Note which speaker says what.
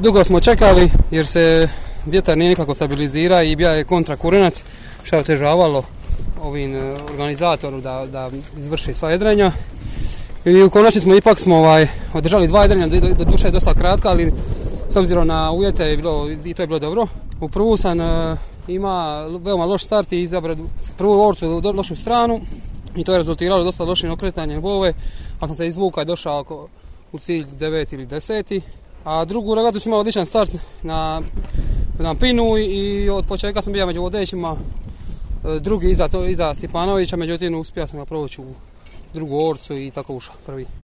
Speaker 1: Dugo smo čekali jer se vjetar nije nikako stabilizira i bio je kontra kurenat što je otežavalo ovim organizatoru da izvrši sva jedrenja. I u konačnici smo održali 2 jedrenja, do duše je dosta kratka, ali s obzirom na uvjete i to je bilo dobro. U prvu sam ima veoma loš start i izabrao prvu orcu u lošu stranu i to je rezultiralo dosta lošim okretanjem bove, pa sam se izvukao i došao u cilj 9 ili 10. A drugu regatu sam imao odličan start na pinu i od početka sam bio među vodećima, drugi iza Stipanovića, međutim uspio sam ga proći u drugu orcu i tako ušao prvi.